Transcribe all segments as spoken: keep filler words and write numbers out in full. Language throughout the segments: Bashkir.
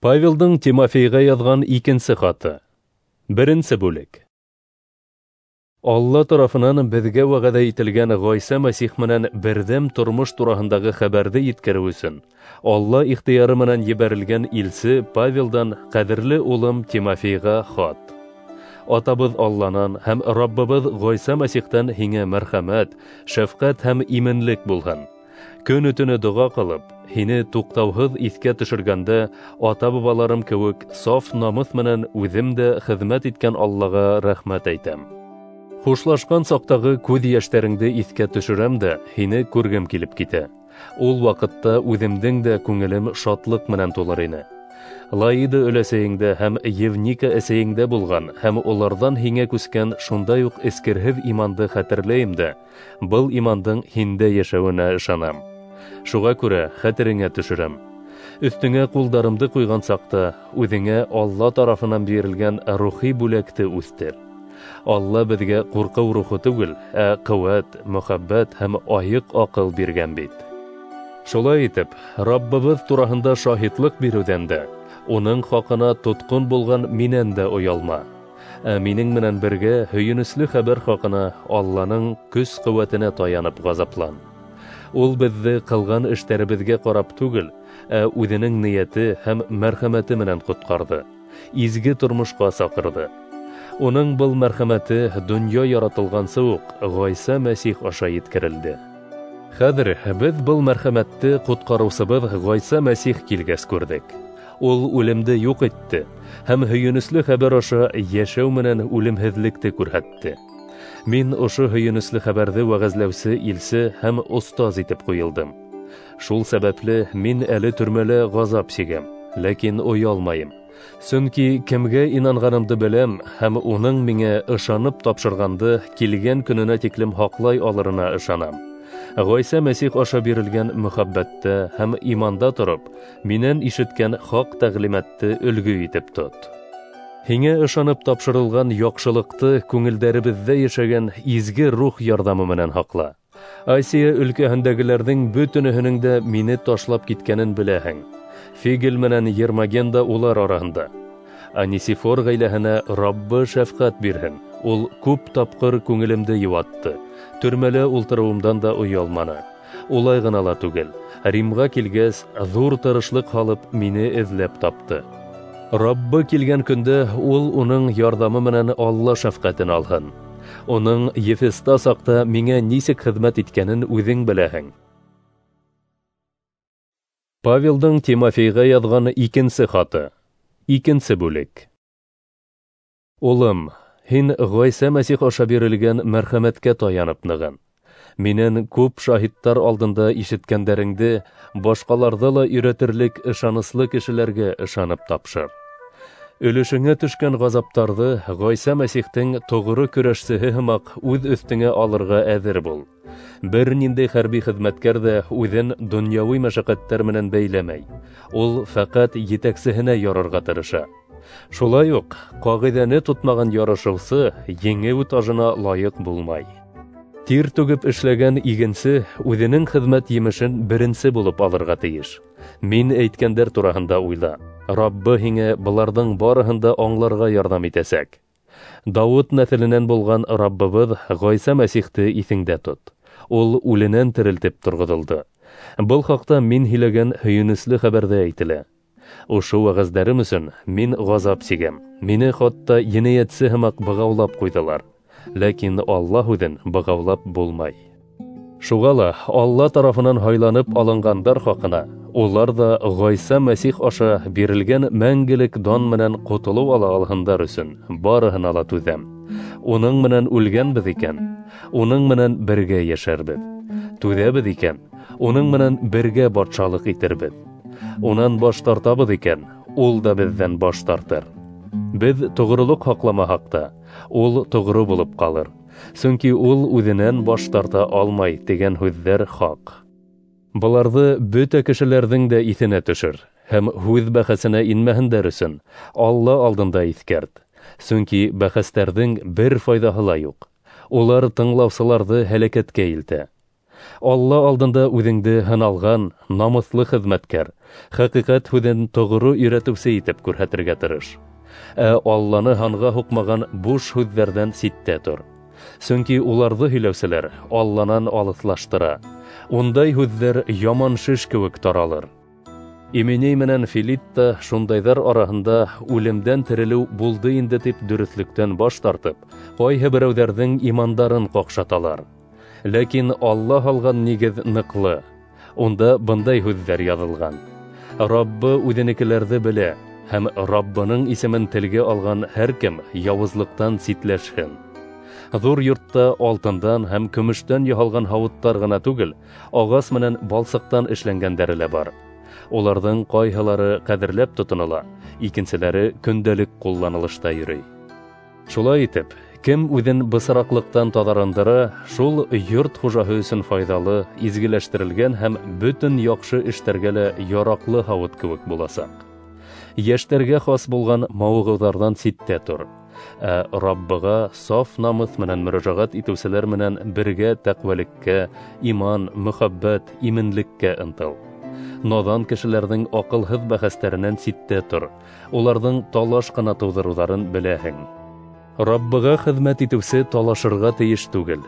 Павелдың Тимофейға яҙған икенсе хаты. Беренсе бүлек. Алла тарафынан беҙгә вәғәҙә ителгән Ғайса Мәсих менән берҙәм тормош тураһындағы хәбәрҙе еткереү өсөн Алла ихтыяры менән ебәрелгән илсе Павелдан ҡәҙерле улым Тимофейға хат. Атабыҙ Алланан һәм Раббыбыҙ Ғайса Мәсихтән һиңә мәрхәмәт, шәфҡәт һәм именлек булһын. Көнө-төнө доға ҡылып, һине туҡтауһыҙ иҫкә төшөргәндә, ата-бабаларым кеүек саф намыҫ менән үҙем дә хеҙмәт иткән Аллаға рәхмәт әйтәм. Хушлашҡан саҡтағы күҙ йәштәреңде иҫкә төшөрәм дә, һине күргем килеп китә. Ул ваҡытта үҙемдең дә күңелем шатлыҡ менән тулыр ине. Лаида өләсәйеңдә һәм Евника әсәйеңдә булған һәм уларҙан һиңә күскән шундай уҡ эскерһеҙ иманды хәтерләйем дә, был имандың һиндә йәшәүенә ышанам. Шуға күрә хәтереңә төшөрәм. Өҫтөңә ҡулдарымды ҡуйған саҡта үҙеңә Алла тарафынан бирелгән рухи бүләкте үҫтер. Алла беҙгә ҡурҡыу рухы түгел, ә ҡеүәт, мөхәббәт һәм айыҡ аҡыл биргән бит. Шулай итеп, Раббыбыҙ тураһында шаһитлыҡ биреүҙән дә, уның хаҡына тотҡон булған минән дә оялма. Ә минең менән бергә һөйөнөслө хәбәр хаҡына Алланың көс-ҡеүәтенә таянып ғазаплан. Ул беҙҙе ҡылған эштәребеҙгә ҡарап түгел, ә үҙенең ниәте һәм мәрхәмәте менән ҡотҡарҙы, изге тормошҡа саҡырҙы. Уның был мәрхәмәте донъя яратылғансы уҡ Ғайса Мәсих аша еткерелде. Хәҙер беҙ был мәрхәмәтте ҡотҡарыусыбыҙ Ғайса Мәсих килгәс күрҙек. Ул үлемде юҡ итте һәм һөйөнөслө хәбәр аша йәшәү менән үлемһеҙлекте күрһәтте. Мин ошо һөйөнөслө хәбәрҙе вәғәзләүсе илсе һәм остаз итеп ҡуйылдым. Шул сәбәпле мин әле төрмәлә ғазап сигәм, ләкин оялмайым. Сөнки кемгә инанғанымды беләм һәм уның миңә ышанып тапшырғанды килгән көнөнә тиклем һаҡлай алырына ышанам. Ғайса Мәсих аша бирелгән мөхәббәттә һәм иманда тороп, минән ишеткән хаҡ тәғлимәтте өлгө итеп тот. Һиңә ышанып тапшырылған яҡшылыҡты күңелдәребеҙҙә йәшәгән изге рух ярҙамы менән һаҡла. Асия өлкәһендәгеләрҙең бөтөнөһөнөң дә мине ташлап киткәнен беләһең. Фигел менән Ермоген да улар араһында. Анисифор ғаиләһенә Раббы шәфҡәт бирһен. Ул күп тапҡыр күңелемде йыуатты. Төрмәлә ултырыуымдан да оялманы. Улай ғына ла түгел, Римға килгәс, ҙур тырышлыҡ һалып мине эҙләп тапты. Раббы килгән көндә ул уның ярҙамы менән Алла шәфҡәтен алһын. Уның Ефеста саҡта миңә нисек хеҙмәт иткәнен үҙең беләһең. Павелдың Тимофейға яҙған икенсе хаты. Икенсе бүлек. Улым, һин Ғайса Мәсих аша бирелгән мәрхәмәткә таянып нығын. Минән күп шаһиттар алдында ишеткәндәреңде башҡаларҙы ла өйрәтерлек ышаныслы кешеләргә ышанып тапшыр. Өлөшөңә төшкән ғазаптарҙы Ғайса Мәсихтең тоғро көрәшсеһе һымаҡ үҙ өҫтөңә алырға әҙер бул. Бер ниндәй хәрби хеҙмәткәр ҙә үҙен донъяуи мәшәҡәттәр менән бәйләмәй. Ул фәҡәт етәксеһенә ярарға тырыша. Шулай уҡ ҡағиҙәне тотмаған ярышыусы еңеү тажына лайыҡ булмай. Тир түгеп эшләгән игенсе үҙенең хеҙмәт емешен беренсе булып алырға тейеш. Мин әйткәндәр тураһында уйла. Раббы һиңә быларҙың барыһын да аңларға ярҙам итәсәк. Дауыт нәҫеленән булған Раббыбыҙ Ғайса Мәсихте иҫеңдә тот. Ул үленән терелтеп торғоҙолдо. Был хаҡта мин һөйләгән һөйөнөслө хәбәрҙә әйтелә. Ошо вәғәздәрем өсөн мин ғазап сигәм. Мине хатта енәйәтсе һымаҡ бығаулап ҡуйҙылар. Ләкин Алла һүҙен бығаулап булмай. Шуға ла Алла тарафынан һайланып алынғандар хаҡына улар ҙа Ғайса Мәсих аша бирелгән мәңгелек дан менән ҡотолоу ала алһындар өсөн барыһына ла түҙәм. Уның менән үлгәнбеҙ икән, уның менән бергә йәшәрбеҙ. Түҙәбеҙ икән, уның менән бергә батшалыҡ итербеҙ. Унан баш тартабыҙ икән, ул да беҙҙән баш тартыр. Беҙ тоғролоҡ һаҡламаһаҡ та, ул тоғро булып ҡалыр. Сөнки ул үҙенән баш тарта алмай тигән һүҙҙәр хаҡ. Быларҙы бөтә кешеләрҙең дә иҫенә төшөр һәм һүҙ бәхәсенә инмәһендәр өсөн Алла алдында иҫкәрт. Сөнки бәхәстәрҙең бер файҙаһы ла юҡ. Улар тыңлаусыларҙы һәләкәткә илтә. Алла алдында үҙеңде һыналған, намыҫлы хеҙмәткәр, хәҡиҡәт һүҙен тоғро өйрәтеүсе итеп күрһәтергә тырыш. Ә Алланы һанға һуҡмаған буш һүҙҙәрҙән ситтә тор. Сөнки уларҙы һөйләүселәр Алланан алыҫлаштыра. Ундай һүҙҙәр яман шеш кеүек таралыр. Именей менән Филит та шундайҙар араһында үлемдән терелеү булды инде тип дөрөҫлөктән баш тартып, ҡайһы берәүҙәрҙең имандарын ҡаҡшаталар. Ләкин Алла һалған нигеҙ ныҡлы. Унда бындай һүҙҙәр яҙылған: Раббы үҙенекеләрҙе белә, һәм Раббының исемен телгә алған һәр кем яуызлыҡтан ситләшһен. Ҙур йортта алтындан һәм көмөштән яһалған һауыттар ғына түгел, ағас менән балсыҡтан эшләнгәндәре лә бар. Уларҙың ҡайһылары ҡәҙерләп тотонола, икенселәре көндәлек ҡулланылышта йөрөй. Шулай итеп, кем үҙен бысраҡлыҡтан таҙарындыра, шул йорт хужаһы өсөн файҙалы, изгеләштерелгән һәм бөтөн яҡшы эштәргә лә яраҡлы һауыт кеүек буласаҡ. Йәштәргә хас булған мауығыуҙарҙан ситтә тор. Ә Раббыға саф намыҫ менән мөрәжәғәт итеүселәр менән бергә тәҡүәлеккә, иман, мөхәббәт, именлеккә ынтыл. Наҙан кешеләрҙең аҡылһыҙ бәхәстәренән ситтә тор. Уларҙың талаш ҡына тыуҙырыуҙарын беләһең. Раббыға хеҙмәт итеүсе талашырға тейеш түгел.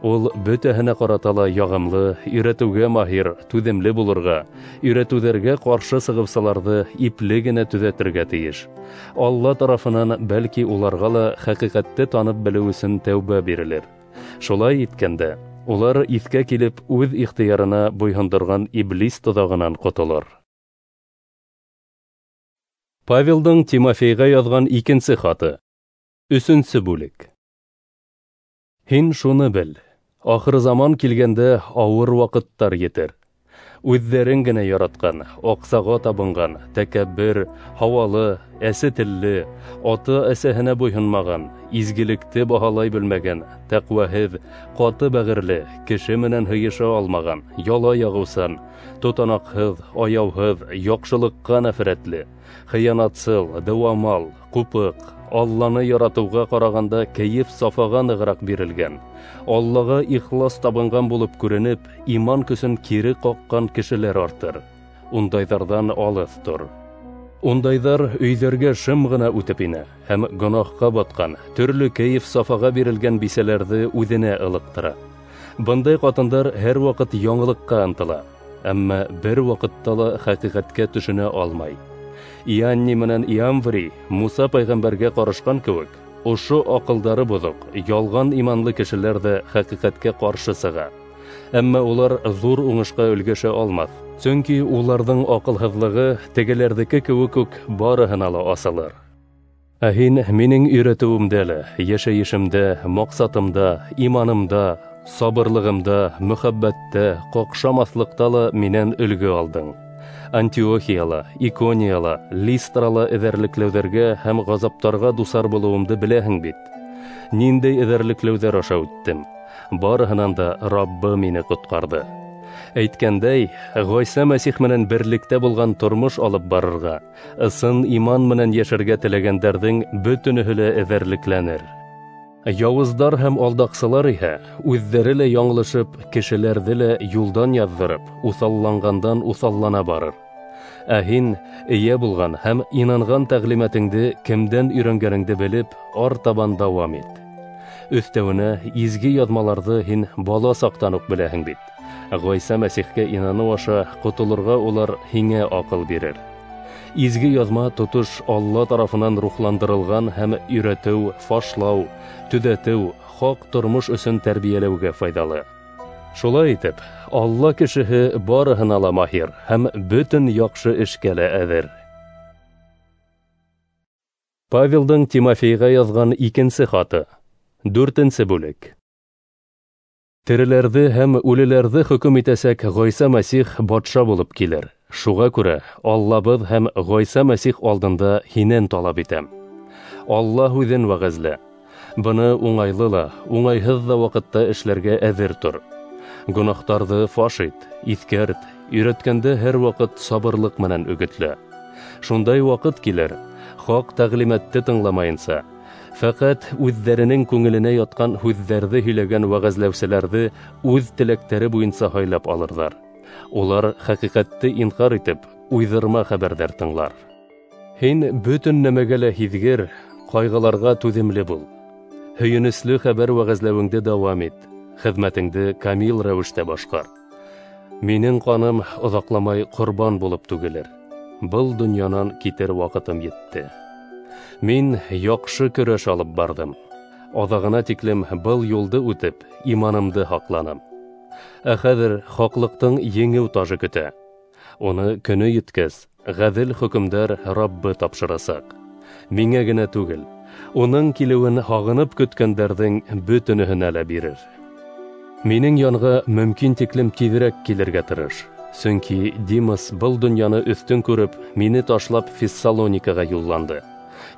Ул бөтәһенә ҡарата ла яғымлы, өйрәтеүгә маһир, түҙемле булырға, өйрәтеүҙәргә ҡаршы сығыусыларҙы ипле генә төҙәтергә тейеш. Алла тарафынан бәлки уларға ла хәҡиҡәтте танып белеү өсөн тәүбә бирелер. Шулай иткәндә, улар иҫкә килеп үҙ ихтыярына буйһондорған иблис тоҙағынан ҡотолор. Павелдың Тимофейға яҙған икенсе хаты. Өсөнсө бүлек. Һин шуны бел: ахыр заман килгәндә ауыр ваҡыттар етер. Үҙҙәрен генә яратҡан, аҡсаға табынған, тәкәббер, һауалы, әсе телле, ата-әсәһенә буйһонмаған, изгелекте баһалай белмәгән, тәҡүәһеҙ, ҡаты бәғерле, кеше менән һыйыша алмаған, яла яғыусан, тотанаҡһыҙ, аяуһыҙ, яҡшылыҡҡа нәфрәтле, хыянатсыл, дыуамал, ҡупыҡ, Алланы яратыуға ҡарағанда кәйеф сафаға нығыраҡ бирелгән, Аллаға ихлас табынған булып күренеп, иман көсөн кире ҡаҡҡан кешеләр артыр. Ундайҙарҙан алыҫ тор. Ундайҙар өйҙәргә шым ғына үтеп инә һәм гонаһҡа батҡан, төрлө кәйеф сафаға бирелгән бисәләрҙе үҙенә ылыҡтыра. Бындай ҡатындар һәр ваҡыт яңылыҡҡа ынтыла, әммә бер ваҡытта ла хәҡиҡәткә төшөнә алмай. Ианни менән Иамври Муса пәйғәмбәргә ҡарышҡан кеүек, ошо аҡылдары боҙоҡ, ялған иманлы кешеләр ҙә хәҡиҡәткә ҡаршы сыға. Әммә улар ҙур уңышҡа өлгәшә алмаҫ, сөнки уларҙың аҡылһыҙлығы тегеләрҙеке кеүек үк барыһына ла асылыр. Ә һин минең өйрәтеүемдә лә, йәшәйешемдә, маҡсатымда, иманымда, сабырлығымда, мөхәббәттә, ҡаҡшамаҫлыҡта ла минән өлгө алдың. Антиохияла, Иконияла, Листрала эҙәрлекләүҙәргә һәм ғазаптарға дусар булыуымды беләһең бит. Ниндәй эҙәрлекләүҙәр аша үттем, барыһынан да Раббы мине ҡотҡарҙы. Әйткәндәй, Ғайса Мәсих менән берлектә булған тормош алып барырға, ысын иман менән йәшәргә теләгәндәрҙең бөтөнөһө лә эҙәрлекләнер. Яуыздар һәм алдаҡсылар иһә үҙҙәре лә яңылышып, кешеләрҙе лә юлдан яҙҙырып, уҫалланғандан уҫаллана барыр. Ә һин эйә булған һәм инанған тәғлимәтеңде кемдән өйрәнгәнеңде белеп, артабан дауам ит. Өҫтәүенә изге яҙмаларҙы һин бала саҡтан уҡ беләһең бит. Ғайса Мәсихкә инаныу аша ҡотолорға улар һиңә аҡыл бирер. Изге яҙма тотош Алла тарафынан рухландырылған һәм өйрәтеү, фашлау, төҙәтеү, хаҡ тормош өсөн тәрбиәләүгә файҙалы. Шулай итеп, Алла кешеһе барыһына ла маһир һәм бөтөн яҡшы эшкә лә әҙер. Павелдың Тимофейға яҙған икенсе хаты. Дүртенсе бүлек. Тереләрҙе һәм үлеләрҙе хөкөм итәсәк Ғайса Мәсих батша булып килер. Шуға күрә Аллабыҙ һәм Ғайса Мәсих алдында һинән талап итәм. Алла һүҙен вәғәзлә. Быны уңайлы ла, уңайһыҙ ҙа ваҡытта эшләргә әҙер тор. Гонаһтарҙы фаш ит, иҫкәрт, өйрәткәндә һәр ваҡыт сабырлыҡ менән өгөтлә. Шундай ваҡыт килер, хаҡ тәғлимәтте тыңламайынса, Фәҡәт үҙҙәренең күңеленә ятҡан һүҙҙәрҙе һөйләгән вәғәзләүселәрҙе үҙ теләктәре буйынса һайлап алырҙар. Улар хәҡиҡәтте инҡар итеп, уйҙырма хәбәрҙәр тыңлар. Һин бөтөн нәмәгә лә һиҙгер, ҡайғыларға түҙемле бул. Һөйөнөслө хәбәр вәғәзләүеңде дауам ит, хеҙмәтеңде камил рәүештә башҡар. Минең ҡаным оҙаҡламай ҡорбан булып түгелер. Был донъянан китер ваҡытым етте. Мин яҡшы көрәш алып барҙым. Аҙағына тиклем был юлды үтеп, иманымды һаҡланым. Ә хәҙер хаҡлыҡтың еңеү тажы көтә. Уны көнө еткәс, ғәҙел хөкөмдар Раббы тапшырасаҡ. Миңә генә түгел, уның килеүен һағынып көткәндәрҙең бөтөнөһөнә лә бирер. Минең янға мөмкин тиклем тиҙерәк килергә тырыш. Сөнки Димас был донъяны өҫтөн күреп, мине ташлап Фессалоникаға юлланды.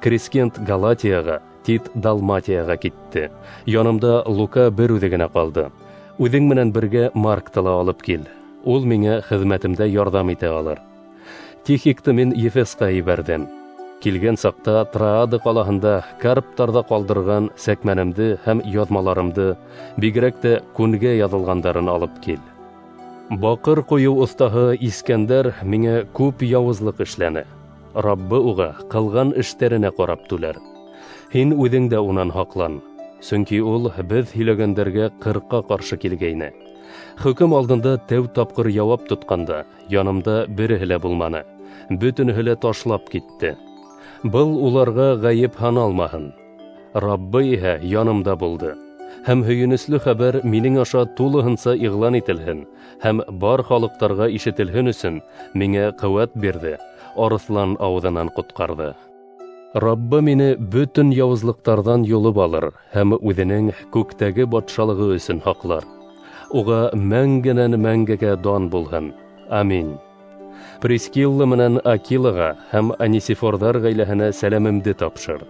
Крискент Галатияға, Тит Далматияға китте. Янымда Лука бер үҙе генә ҡалды. Үҙең менән бергә Маркты ла алып кил. Ул миңә хеҙмәтемдә ярҙам итә алыр. Тихикты мин Ефесҡа ебәрҙем. Килгән саҡта Троада ҡалаһында Карптарҙа ҡалдырған сәкмәнемде һәм яҙмаларымды, бигерәк тә күнгә яҙылғандарын алып кил. Баҡыр ҡойоу оҫтаһы Искәндәр миңә күп яуызлыҡ эшләне. Раббы уға ҡылған эштәренә ҡарап түләр. Һин үҙең дә унан һаҡлан, сөнки ул беҙ һөйләгәндәргә ҡырҡа ҡаршы килгәйне. Хөкөм алдында тәү тапҡыр яуап тотҡанда янымда береһе лә булманы, бөтөнөһө лә ташлап китте. Был уларға ғәйеп һаналмаһын. Раббы иһә янымда булды. Һәм һөйөнөслө хәбәр минең аша тулыһынса иғлан ителһен һәм бар халыҡтарға ишетелһен өсөн миңә ҡеүәт бирҙе, арыҫлан ауыҙынан ҡотҡарҙы. Раббы мине бөтөн яуызлыҡтарҙан юлып алыр һәм үҙенең күктәге батшалығы өсөн һаҡлар. Уға мәңгенән мәңгегә дан булһын. Амин. Прискилла менән Акилаға һәм Анисифорҙар ғаиләһенә сәләмемде тапшыр.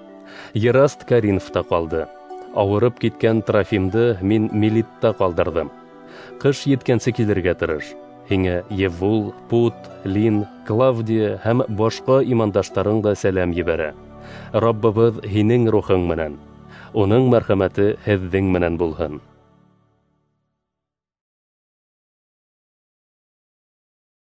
Ераст Коринфта ҡалды. Ауырып киткән Трофимды мин Милитта ҡалдырҙым. Ҡыш еткәнсе килергә тырыш. Һиңә Евул, Пут, Лин, Клавдия һәм башҡа имандаштарың да сәләм ебәрә. Раббыбыҙ һинең рухың менән, уның мәрхәмәте һеҙҙең менән булһын.